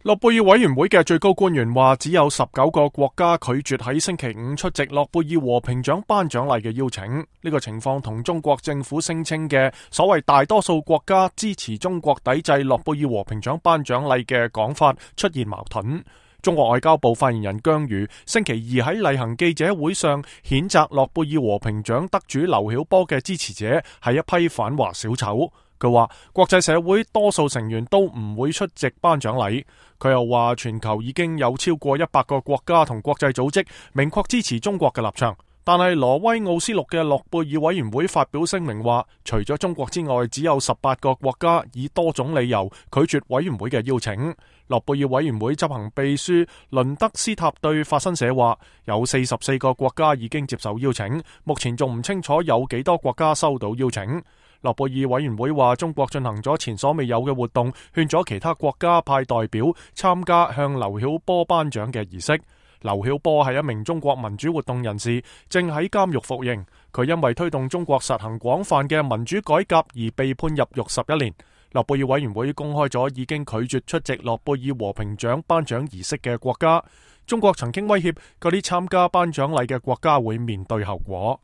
諾貝爾委員會嘅最高官員話，只有19個國家拒絕喺星期五出席諾貝爾和平獎頒獎禮嘅邀請。呢個情況同中國政府聲稱嘅所謂大多數國家支持中國抵制諾貝爾和平獎頒獎禮嘅講法出現矛盾。中國外交部發言人姜瑜星期二喺例行記者會上譴責諾貝爾和平獎得主劉曉波嘅支持者係一批反華小丑。佢話國際社會多數成員都唔會出席頒獎禮。佢又話全球已經有超過100個國家同國際組織明確支持中國嘅立場。但係挪威奧斯陸嘅諾貝爾委員會發表聲明話，除咗中國之外，只有18個國家以多種理由拒絕委員會嘅邀請。諾貝爾委員會執行秘書倫德斯塔對法新社話，有44個國家已經接受邀請，目前仲唔清楚有幾多國家收到邀請。諾貝爾委員會話，中國進行咗前所未有嘅活動，勸咗其他國家派代表參加向劉曉波頒獎嘅儀式。劉曉波係一名中國民主活動人士，正喺監獄服刑。佢因為推動中國實行廣泛嘅民主改革而被判入獄11年。諾貝爾委員會公開咗已經拒絕出席諾貝爾和平獎頒獎儀式嘅國家。中國曾經威脅嗰啲參加頒獎禮嘅國家會面對後果。